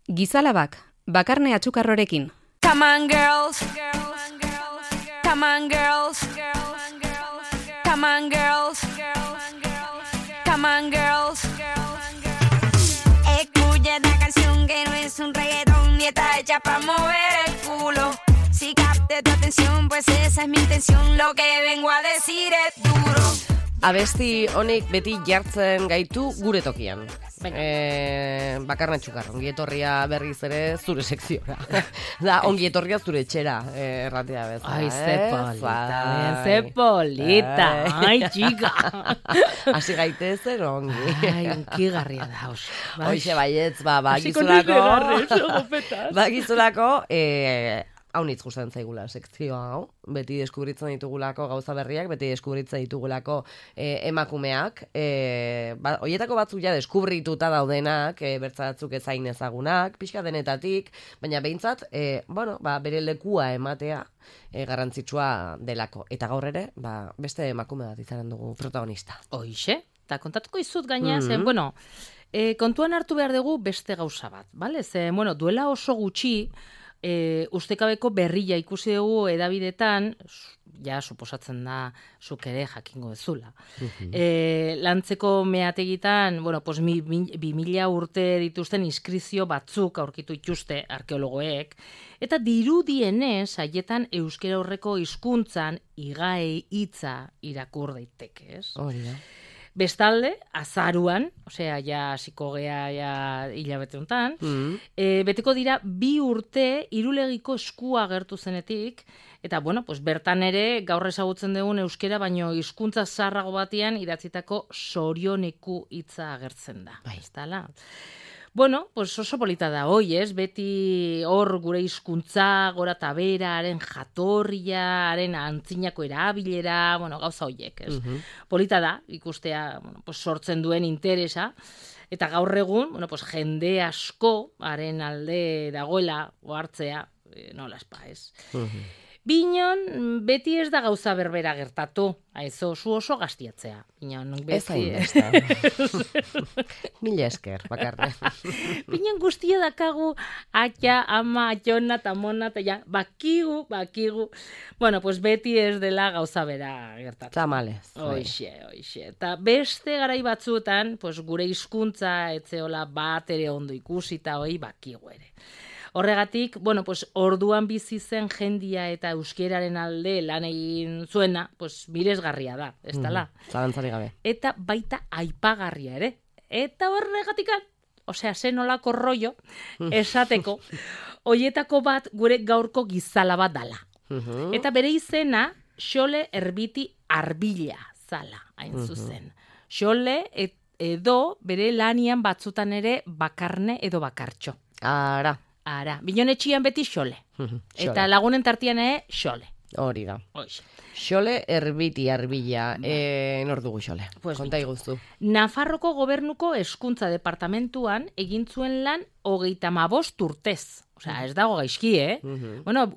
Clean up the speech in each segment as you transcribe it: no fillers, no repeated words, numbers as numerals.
Gizalabak, Bakarne Atxukarrorekin. Come on girls, come on girls, come on girls, come on girls. Escucha esta canción que no es un reggaetón ni está hecha para mover el culo. Si capte tu atención, pues esa es mi intención, lo que vengo a decir es duro. Abesti honek beti jartzen gaitu gure tokian. Bakarne Atxukarro, ongi etorria berriz ere zure sekziora. Da, ongi etorria zure etxera, erratea bezala. Ai, ze polita, ai, txika. Hasi gaitezen ongi. Ai, unkigarria da, oso. Hoxe baietz, bagizulako, haunitz gustatzen zaigula sekzio hau, beti deskubritzen ditugulako gauza berriak, beti deskubritzen ditugulako emakumeak, hoietako batzuk ja deskubrituta daudenak, bertzatzuk ezain ezagunak, pixka denetatik, baina behintzat, bere lekua ematea garrantzitsua delako. Eta gaur ere, beste emakume bat izanen dugu protagonista. Hoixe, eta kontatuko izut gaina, zen, kontuan hartu behar dugu beste gauza bat, bale? Zen, duela oso gutxi, ustekabeko berria ikusi dugu edabidetan, ja, suposatzen da, zuk ere jakingo ezula. Lantzeko meategitan, 2000 urte dituzten inskrizio batzuk aurkitu ituzte arkeologoek, eta dirudienez, haietan euskera horreko hizkuntzan igaei hitza irakur daiteke, ez? Hori da. Bestalde, azaruan, hasiko gea hilabete hontan, beteko dira 2 urte irulegiko eskua agertu zenetik, eta bertan ere gaur ezagutzen dugun euskera, baino hizkuntza zaharrago batean idatzitako sorioneku hitza agertzen da. Bai. Eztala? Oso polita da, beti hor gure hizkuntza, gora eta bera, haren jatorria, haren antzinako erabilera, gauza horiek, ez? Polita da, ikustea, sortzen duen interesa, eta gaur egun, jende asko, haren alde dagoela, ohartzea, nola espa, ez? Binon, beti ez da gauza berbera gertatu. Aizo, zu oso gaztiatzea. Binon, beti... Ez hain, Mila esker, Bakarne. Binon guztia dakagu, atxa, ama, atxona, tamona, eta ja, bakigu. Beti ez dela gauza bera gertatu. Tamalez. Hoixe. Eta beste garai batzuetan, gure hizkuntza etzeola bat ere ondo ikusita, bakigu ere. Horregatik, orduan bizi zen jendia eta euskeraren alde lan egin zuena, miresgarria da, ez dala? Zalantzari gabe. Eta baita aipagarria ere. Eta horregatikan, zen olako rollo, esateko, hoietako bat gure gaurko gizala bat dala. Eta bere izena, Xole Erbiti Arbila zala, hain zuzen. Xole edo bere lanian batzutan ere Bakarne edo Bakartxo. Ara, Binonetxian beti Xole. Eta lagunen tartian Xole. Hori da. Xole Erbiti Arbila. Nor dugu Xole? Konta iguztu. Nafarroko gobernuko hezkuntza departamentuan egin zuen lan 35 urtez. Ez dago gaizki,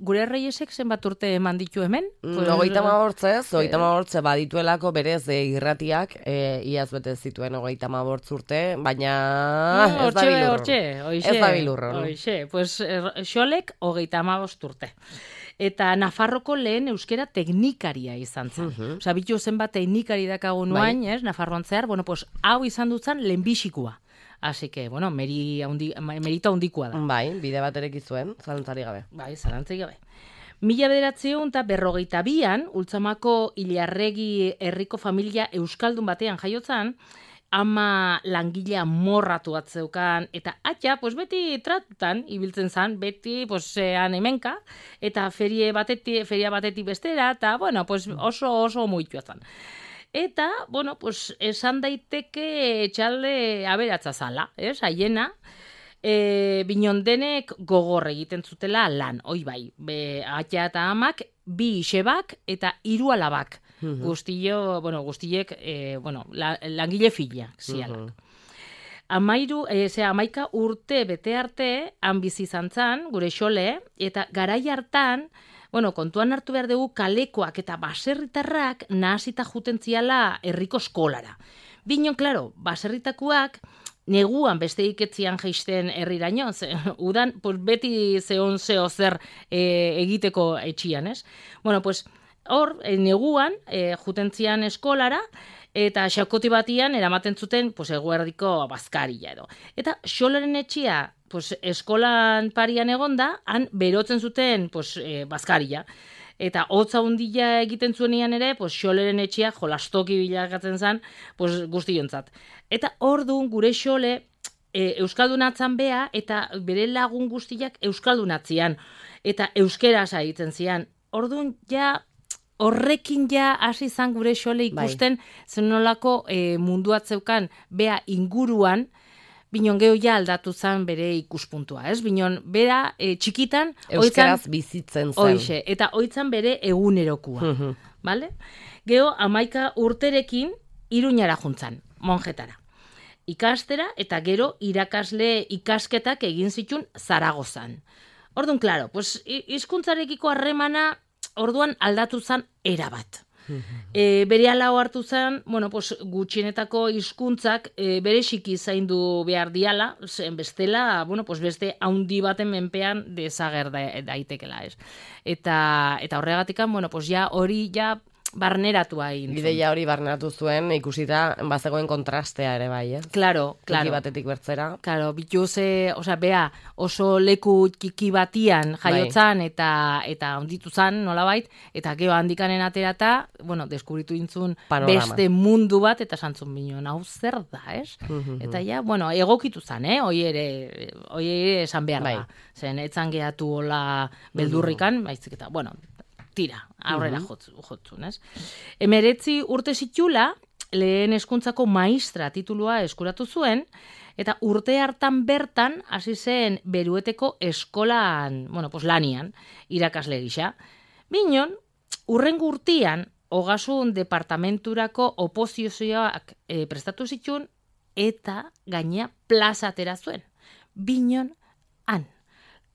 gure Reyesek zenbat urte eman ditu hemen? 35 badituelako berez irratiak, iaz bete zituen 35 urte, baina ez da bilurron. Ez da bilurron. Xolek 35 urte. Eta Nafarroko lehen euskera teknikaria izan zen. Bitu zenbat teknikari dakago nuain, Nafarroan zehar, hau izan dutzen lehenbixikoa. Así que, merita handikoa da. Bai, bide bat ereki zuen, zalantzari gabe. Bai, zalantzari gabe. 1942an, Ultzamako Ilarregi herriko familia euskaldun batean jaiotzan, ama langilea morratu atzeukan, eta atxa, beti tratutan ibiltzen zan, beti, han hemenka, eta feria batetik bestera, eta, oso muitua zan. Eta, esan daiteke txalde aberatza zala, haiena, Binondenek gogor egiten zutela lan, bai, atxa eta amak, 2 isebak eta 3 alabak. Guztiek, langile fila, zialak. 11 urte bete arte, han bizi izan zan, gure Xole, eta garai hartan, kontuan hartu behar dugu kalekoak eta baserritarrak nahasita juten ziala herriko eskolara. Binon, klaro, baserritakoak neguan beste iketzian jaisten herriraino, udan pues, beti zehon zeo zer egiteko etxian, ez? Bueno, pues, hor, neguan, jutentzian eskolara, eta xakoti batian eramaten zuten pues, eguerdiko bazkaria edo. Eta xoleren etxia pues, eskolan parian egonda, han berotzen zuten pues, bazkaria. Eta hotza hundila egiten zuenean ere, pues, xoleren etxia jolastoki bilakatzen zen pues, guztiontzat. Eta orduan gure xole euskaldunatzen bea eta bere lagun guztiak euskaldunatzian. Eta euskera saitzen zian. Orduan ja horrekin ja hasi zan gure xole ikusten zenolako munduatzeukan bea inguruan, binon geho ja aldatu zen bere ikuspuntua, ez? Binon bera txikitan euskeraz bizitzen zen. Hoixe, eta oitzan bere egunerokua, bale? Geho 11 urterekin Iruñara juntzan, monjetara. Ikastera eta gero irakasle ikasketak egin zitun Zaragozan. Orduan, klaro, pues, hizkuntzarekiko harremana orduan aldatu zen erabat. Bere alau hartu zen, bueno, pues, gutxienetako hizkuntzak bereziki zaindu behar diala, zen bestela, bueno, pues, beste haundi baten menpean desager daitekela, ez. Eta horregatikan, bueno, pues, ja hori ja barneratua egin. Ideia hori barneratu zuen, ikusita bazegoen kontrastea ere bai, eh? Claro. Toki batetik bertzera. Claro, bituze, osea, bea, oso leku txiki batian jaiotzan eta onditu zan, nolabait, eta gero handikanen aterata, bueno, deskubritu intzun beste mundu bat, eta santzun binon, hau zer da, ez? Eta ja, bueno, egokitu zan, hoi ere esan behar da. Zen, etzan gehatu hola beldurrikan, baizik eta, bueno, tira, aurrera jotzun, ez? 19 urte zitula, lehen hezkuntzako maistra titulua eskuratu zuen, eta urte hartan bertan hasi zen Berueteko eskolan, bueno, pues lanian, irakasle gisa. Binon, urrengo urtean, Ogasun departamenturako oposizioak prestatu zituen, eta gaina plaza atera zuen. Binon, han,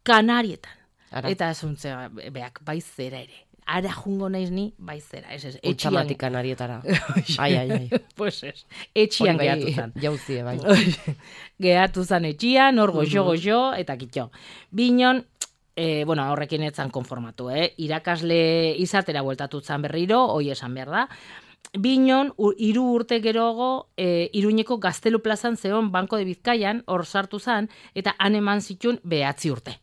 Kanarietan. Eta esuntzea, beak, baizera ere. Ara jungo naiz ni baizera, ez. Utxamatik Kanarietara. Ai. Pues ez, etxian gehatu zan. Jauzie, bai. Gehatu zan etxian, hor goxo, eta kitxo. Binon, bueno, horrekin etzan konformatu, irakasle izatera bueltatu zan berriro, hoi esan behar da. Binon, 3 urte geroago, Iruñeko Gaztelu plazan zeon Banko de Bizkaian, hor sartu zan, eta han eman zituen 9 urte.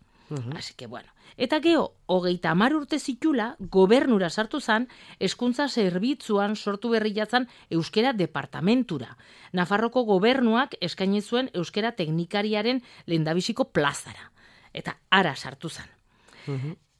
Así que, bueno. Eta geho, 30 urte zitula, gobernura sartu zan, hezkuntza zerbitzuan sortu berri jatzan euskera departamentura. Nafarroko gobernuak eskaini zuen euskera teknikariaren lehendabiziko plazara. Eta ara sartu zan.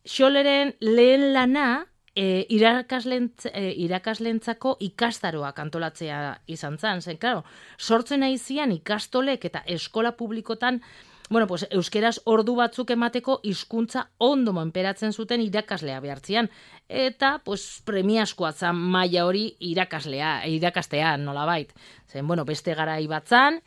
Xoleren lehen lana, irakaslentzako ikastaroak antolatzea izan zan. Zen, claro, sortzen aizian ikastolek eta eskola publikotan, bueno, pues, euskeraz ordu batzuk emateko hizkuntza ondo menperatzen zuten irakaslea behartzian. Eta, pues, premiaskoa zan maila hori irakastea, nolabait. Zen, bueno, beste garai batzan,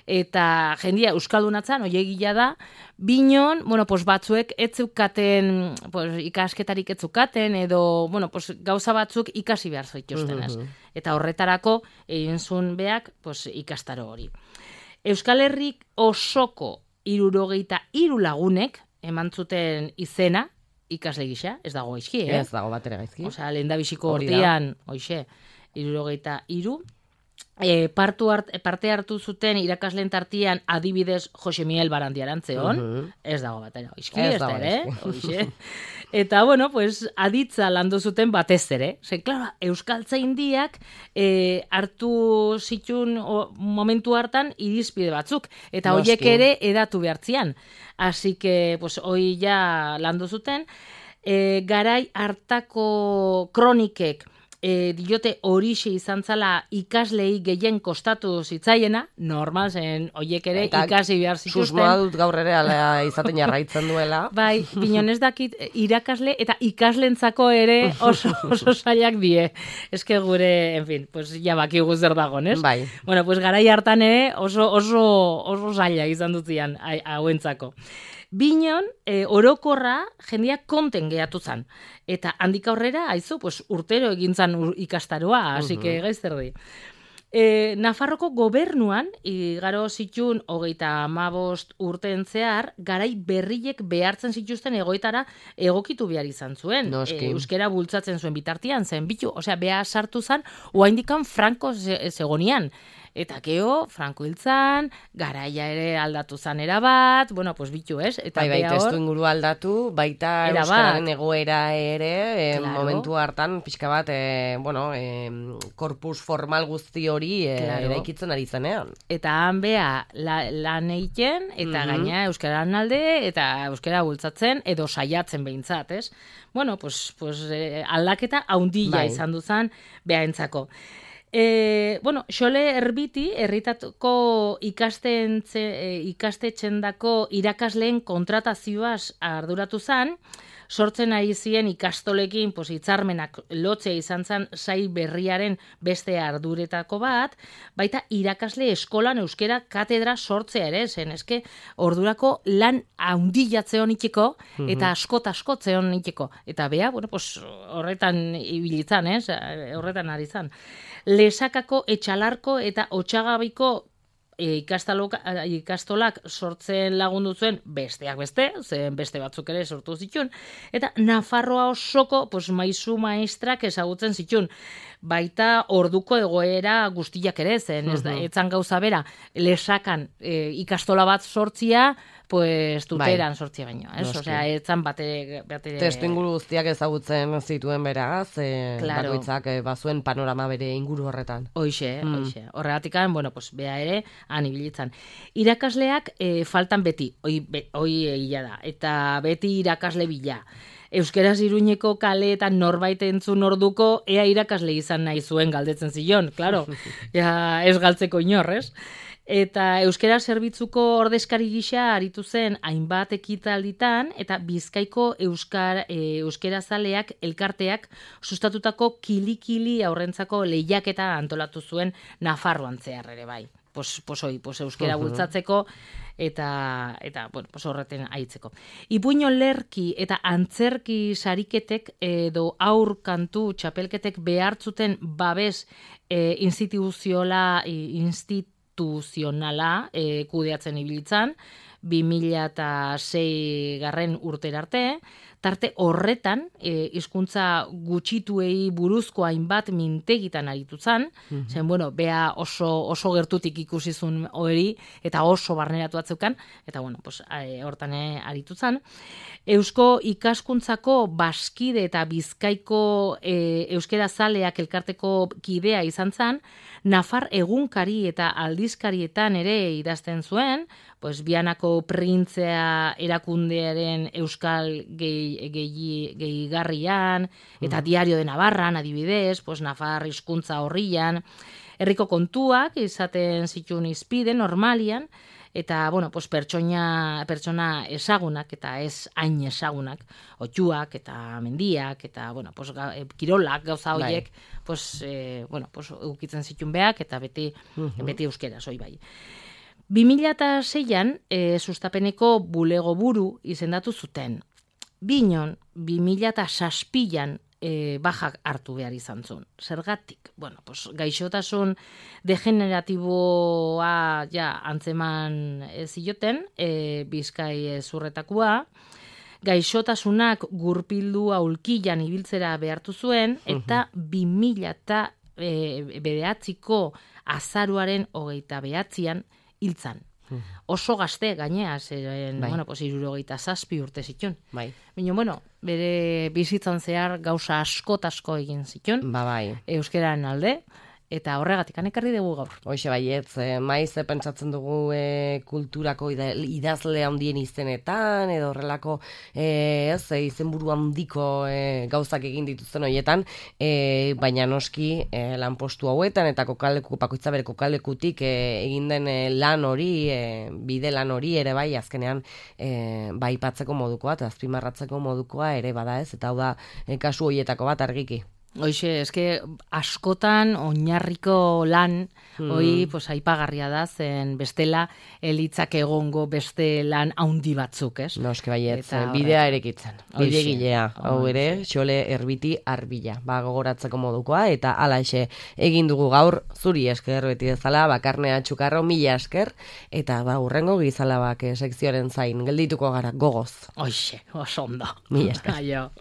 eta jendia euskaldunatzan, oiegila da, binon, bueno, pues, batzuek etzeukaten, pues, ikasketarik etzukaten, edo, bueno, pues, gauza batzuk ikasi behar zoituzten, ez. Eta horretarako, egin zuen beak, pues, ikastaro hori. Euskal Herrik osoko 63 lagunek eman zuten izena ikasle gisa, ez dago gaizki, Ez dago batera gaizki. Osea, lehendabiziko urtean, hoixe, 63. Parte hartu zuten irakasleen tartian adibidez Jose Miguel Barandiarantzeon, ez dago batera gaizki, ez da ere, hoixe. Eta, bueno, pues, aditza landu zuten batez ere. Zer, klaro, euskaltzaindiak hartu zitun momentu hartan irizpide batzuk. Eta horiek ere edatu behartzian. Así que, pues, hoi ja landu zuten. Garai hartako kronikek diote horixe izan zala ikaslei gehien kostatu zitzaiena, normal zen horiek ere ikasi behar zituzten. Susmoa dut gaur ere ala izaten jarraitzen duela. Bai, binon ez dakit irakasle eta ikaslentzako ere oso zailak die. Eske gure, en fin, pues ja bakigu zer dagon, ez? Bai. Bueno, pues garai hartan ere oso zaila izan dutzian hauentzako. Binon, orokorra jendeak konten gehatu zan. Eta handik aurrera, haizu, pues, urtero egin zan ikastaroa, así que gaiz erdi. Nafarroko gobernuan, igaro zitun 35 urteen zehar, garai berriek behartzen zituzten egoitara egokitu behar izan zuen. Euskera bultzatzen zuen bitartian, zen bitu, behar sartu zen, oaindikan Franco zegonian. Eta geho, Franco hiltzan, garaia ere aldatu zan erabat, bitu, ez? Eta baita testu inguru aldatu, baita euskararen egoera ere, momentu hartan, pixka bat, korpus formal guzti hori eraikitzen ari zenean. Eta han beha lan egiten, eta gaina euskararen alde, eta euskara bultzatzen, edo saiatzen behintzat, ez? Aldaketa haundila izan duzan behaentzako. Xole Erbiti, herritatuko ikastetxendako irakasleen kontratazioaz arduratu zan, sortzen ari ziren ikastolekin hitzarmenak lotzea izan zen sail berriaren beste arduretako bat, baita irakasle eskolan euskera katedra sortzea ere, zen eske ordurako lan haundilatze honiteko eta askot-askotze honiteko. Eta beha, horretan ibilitzan, horretan ari zan. Lesakako, Etxalarko eta Otsagabiko ikastolak sortzen lagundu zuen besteak beste, zen beste batzuk ere sortu zituen, eta Nafarroa osoko maisu maestrak ezagutzen zituen, baita orduko egoera guztiak ere zen, etzan gauza bera, Lesakan ikastola bat sortzia, tuteran sortzia baino, etzan bate... Testu inguru guztiak ezagutzen zituen beraz, bakoitzak bazuen panorama bere inguru horretan. Hoixe. Horregatikan, bea ere, anibilitzan. Irakasleak faltan beti, hoi egia da, eta beti irakasle bila. Euskeraz Iruñeko kaleetan norbait entzun orduko, ea irakasle izan nahi zuen galdetzen zion, klaro, ez galtzeko inorrez. Eta euskera zerbitzuko ordezkari gisa aritu zen hainbat ekitalditan eta Bizkaiko euskera zaleak elkarteak sustatutako kili-kili aurrentzako lehiaketa antolatu zuen Nafarroan zehar ere bai. Euskera bultzatzeko eta horreten aitzeko. Ipuin olerki eta antzerki sariketek edo aur kantu txapelketek behartzuten babes instituzionala kudeatzen ibilitzan, 2006 garren urtera arte, tarte horretan hizkuntza gutxituei buruzko hainbat mintegitan aritu zan, zen, bea oso gertutik ikusizun hori, eta oso barneratu atzeukan, eta hortan aritu zan. Eusko ikaskuntzako Baskide eta Bizkaiko euskera zaleak elkarteko kidea izan zan, Nafar egunkari eta aldizkarietan ere idazten zuen, Bianako printzea erakundearen euskal gehigarrian, eta Diario de Navarran, adibidez, Nafar hizkuntza horrian, herriko kontuak izaten zituen izpide normalian, eta, pertsona ezagunak eta ez hain ezagunak, otxuak eta mendiak, eta, kirolak gauza horiek, eukitzen zituen beak, eta beti euskera, zoi bai. 2006an, sustapeneko bulego buru izendatu zuten. Binon, 2006an, bajak hartu behar izan zuen. Zergatik? Gaixotasun degeneratiboa antzeman zioten, Bizkai zurretakoa, gaixotasunak gurpildua ulkilan ibiltzera behartu zuen, eta 2009ko azaruaren 29an hiltzan. Oso gazte gainea, zeren, 67 urte zituen. Baina, bere bizitzan zehar gauza asko egin zituen. Euskeraren alde. Eta horregatik ekarri dugu gaur. Hoxe baietz, maiz pentsatzen dugu kulturako idazle handien izenetan, edo horrelako izenburu handiko gauzak egin dituzten horietan, baina noski lanpostu hauetan, eta bakoitza bere kokalekutik egin den lan hori, bide lan hori ere bai, azkenean baipatzeko modukoa, eta azpimarratzeko modukoa ere bada ez, eta hau da kasu horietako bat argiki. Hoxe, eske askotan oinarriko lan, pues aipagarria da, zen bestela elitzak egongo beste lan haundi batzuk, ez? Noske baiet, Eta bidea erekitzen. Bide Hoxe. gilea, hau ere, Xole Erbiti Arbila. Gogoratzeko modukoa, eta alaxe egin dugu gaur, zuri esker beti bezala, Bakarnea Txukarro, mila esker, eta urrengo Gizalabak sekzioaren zain, geldituko gara, gogoz. Hoxe, oso ondo. Mila esker. Aio.